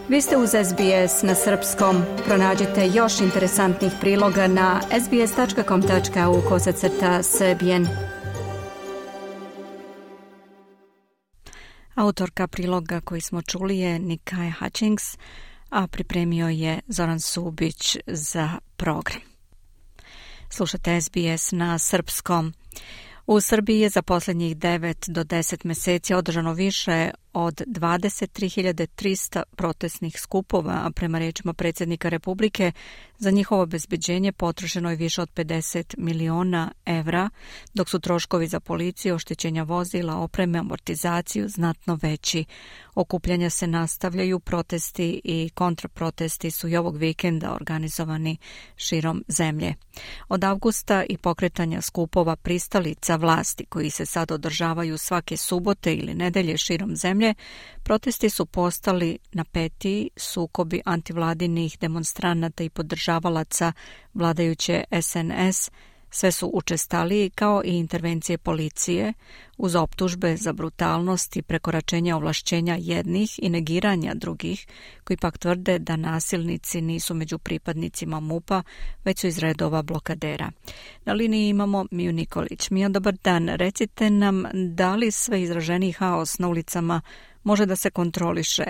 Vi ste uz SBS na srpskom. Pronađite još interesantnih priloga na sbs.com.au/srbijen. Autorka priloga koji smo čuli je Nikai Hutchings, a pripremio je Zoran Subić za program. Slušate SBS na srpskom. U Srbiji je za posljednjih 9 do 10 mjeseci održano više od 23.300 protestnih skupova, a prema riječima predsjednika Republike za njihovo obezbeđenje potrošeno je više od 50 miliona evra, dok su troškovi za policiju, oštećenja vozila, opreme, amortizaciju znatno veći. Okupljanja se nastavljaju, protesti i kontraprotesti su i ovog vikenda organizovani širom zemlje. Od avgusta i pokretanja skupova pristalica vlasti koji se sad održavaju svake subote ili nedelje širom zemlje, protesti su postali napetiji, sukobi antivladinih demonstranata i podržavalaca vladajuće SNS sve su učestaliji, kao i intervencije policije uz optužbe za brutalnost i prekoračenja ovlašćenja jednih i negiranja drugih, koji pak tvrde da nasilnici nisu među pripadnicima MUP-a, već su iz redova blokadera. Na liniji imamo Miju Nikolić. Mija, dobar dan. Recite nam, da li sve izraženiji haos na ulicama može da se kontroliše?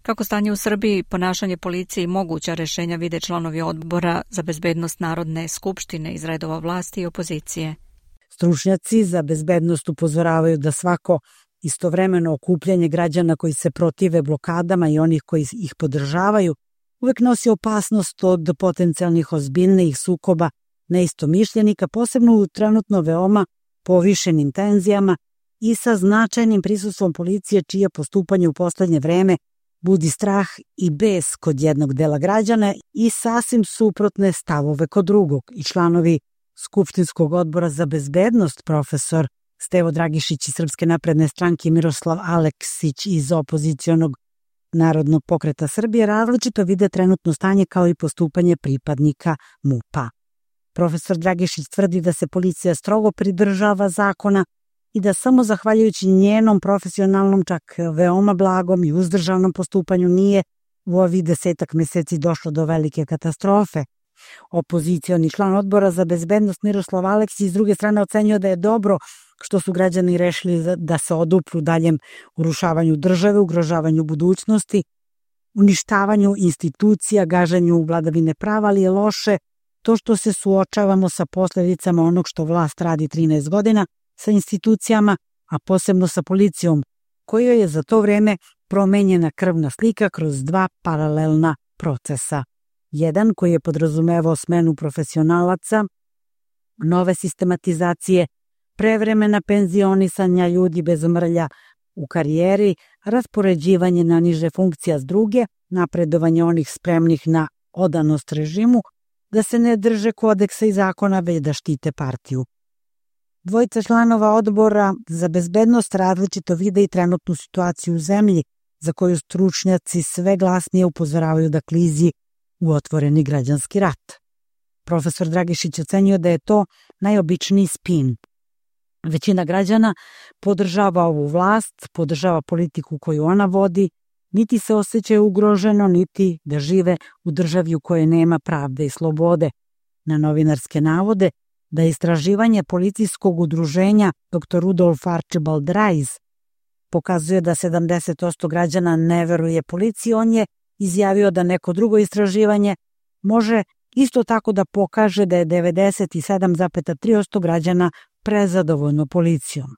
Kako stanje u Srbiji, ponašanje policije i moguća rješenja vide članovi odbora za bezbednost Narodne skupštine iz redova vlasti i opozicije? Stručnjaci za bezbednost upozoravaju da svako istovremeno okupljanje građana koji se protive blokadama i onih koji ih podržavaju uvek nosi opasnost od potencijalnih ozbiljnijih sukoba neistomišljenika, posebno u trenutno veoma povišenim tenzijama i sa značajnim prisustvom policije, čije postupanje u poslednje vreme budi strah i bes kod jednog dela građana i sasvim suprotne stavove kod drugog. I članovi Skupštinskog odbora za bezbednost, profesor Stevo Dragišić iz Srpske napredne stranke i Miroslav Aleksić iz opozicionog Narodnog pokreta Srbije, različito vide trenutno stanje kao i postupanje pripadnika MUP-a. Profesor Dragišić tvrdi da se policija strogo pridržava zakona i da samo zahvaljujući njenom profesionalnom, čak veoma blagom i uzdržanom postupanju nije u ovih 10 mjeseci došlo do velike katastrofe. Opozicioni član odbora za bezbednost Miroslav Aleksić s druge strane ocenio da je dobro što su građani rešili da se odupru daljem urušavanju države, ugrožavanju budućnosti, uništavanju institucija, gaženju vladavine prava, ali je loše to što se suočavamo sa posljedicama onog što vlast radi 13 godina, sa institucijama, a posebno sa policijom, kojoj je za to vreme promenjena krvna slika kroz 2 paralelna procesa. Jedan koji je podrazumevao smenu profesionalaca, nove sistematizacije, prevremena penzionisanja ljudi bez mrlja u karijeri, raspoređivanje na niže funkcija s druge, napredovanje onih spremnih na odanost režimu, da se ne drže kodeksa i zakona, već da štite partiju. Dvojica članova odbora za bezbednost različito vide i trenutnu situaciju u zemlji, za koju stručnjaci sve glasnije upozoravaju da klizi u otvoreni građanski rat. Profesor Dragišić ocenjuje da je to najobičniji spin. Većina građana podržava ovu vlast, podržava politiku koju ona vodi, niti se osjećaju ugroženo, niti da žive u državi u kojoj nema pravde i slobode. Na novinarske navode da je istraživanje policijskog udruženja Dr. Rudolf Archibald Rice pokazuje da 70% građana ne veruje policiji, on je izjavio da neko drugo istraživanje može isto tako da pokaže da je 97,3% građana prezadovoljno policijom.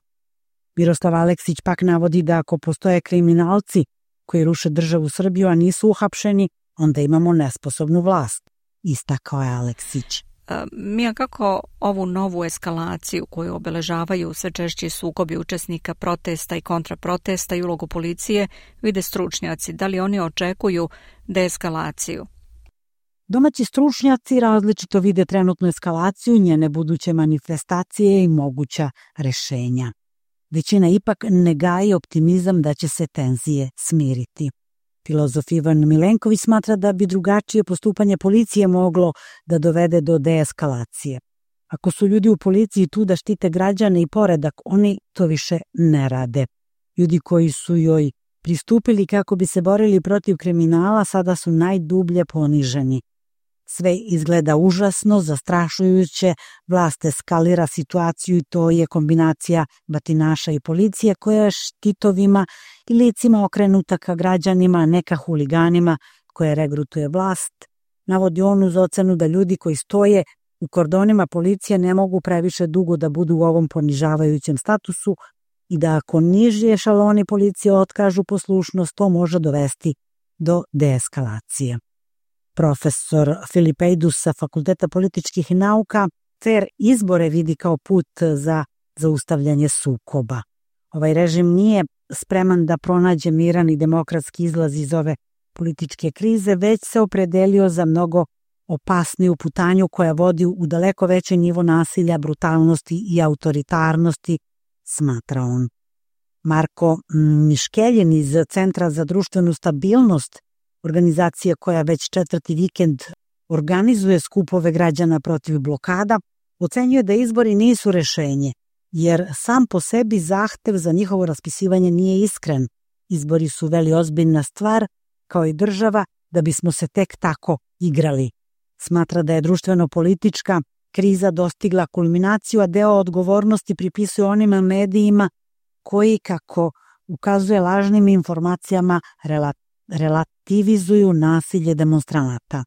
Miroslav Aleksić pak navodi da ako postoje kriminalci koji ruše državu Srbiju, a nisu uhapšeni, onda imamo nesposobnu vlast, istakao je Aleksić. Mija, kako ovu novu eskalaciju koju obeležavaju sve češći sukobi učesnika protesta i kontraprotesta i ulogu policije vide stručnjaci? Da li oni očekuju deeskalaciju? Domaći stručnjaci različito vide trenutnu eskalaciju, njene buduće manifestacije i moguća rešenja. Većina ipak ne gaji optimizam da će se tenzije smiriti. Filozof Ivan Milenković smatra da bi drugačije postupanje policije moglo da dovede do deeskalacije. Ako su ljudi u policiji tu da štite građane i poredak, oni to više ne rade. Ljudi koji su joj pristupili kako bi se borili protiv kriminala, sada su najdublje poniženi. Sve izgleda užasno, zastrašujuće, vlast eskalira situaciju i to je kombinacija batinaša i policije koja je štitovima i licima okrenuta ka građanima, a ne ka huliganima koje regrutuje vlast. Navodi on uz ocenu da ljudi koji stoje u kordonima policije ne mogu previše dugo da budu u ovom ponižavajućem statusu i da ako niži ešaloni policije otkažu poslušnost, to može dovesti do deeskalacije. Profesor Filipeidus sa Fakulteta političkih nauka fair izbore vidi kao put za zaustavljanje sukoba. Ovaj režim nije spreman da pronađe miran i demokratski izlaz iz ove političke krize, već se opredelio za mnogo opasniju putanju koja vodi u daleko veći nivo nasilja, brutalnosti i autoritarnosti, smatra on. Marko Miškeljin iz Centra za društvenu stabilnost, organizacija koja već 4. vikend organizuje skupove građana protiv blokada, ocenjuje da izbori nisu rešenje, jer sam po sebi zahtev za njihovo raspisivanje nije iskren. Izbori su veli ozbiljna stvar, kao i država, da bismo se tek tako igrali. Smatra da je društveno-politička kriza dostigla kulminaciju, a deo odgovornosti pripisuje onima medijima koji, kako ukazuje lažnim informacijama, relativizuju nasilje demonstranata.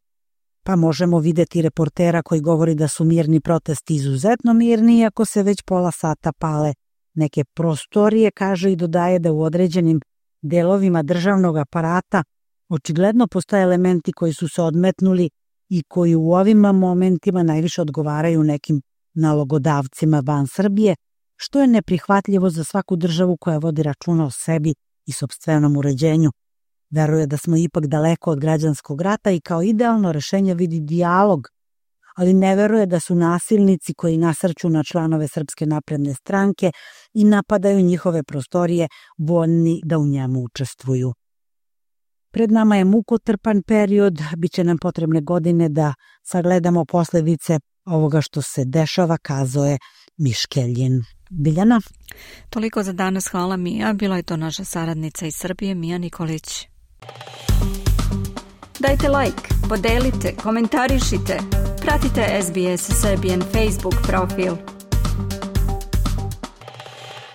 Pa možemo videti reportera koji govori da su mirni protesti izuzetno mirni, iako se već pola sata pale neke prostorije, kaže i dodaje da u određenim delovima državnog aparata očigledno postoje elementi koji su se odmetnuli i koji u ovim momentima najviše odgovaraju nekim nalogodavcima van Srbije, što je neprihvatljivo za svaku državu koja vodi računa o sebi i sopstvenom uređenju. Veruje da smo ipak daleko od građanskog rata i kao idealno rešenje vidi dijalog, ali ne veruje da su nasilnici koji nasrću na članove Srpske napredne stranke i napadaju njihove prostorije voljni da u njemu učestvuju. Pred nama je mukotrpan period, bit će nam potrebne godine da sagledamo posledice ovoga što se dešava, kazao je Miškeljin. Biljana? Toliko za danas, hvala Mija. Bila je to naša saradnica iz Srbije, Mija Nikolić. Dajte like, podelite, komentarišite, pratite SBS Serbian Facebook profil.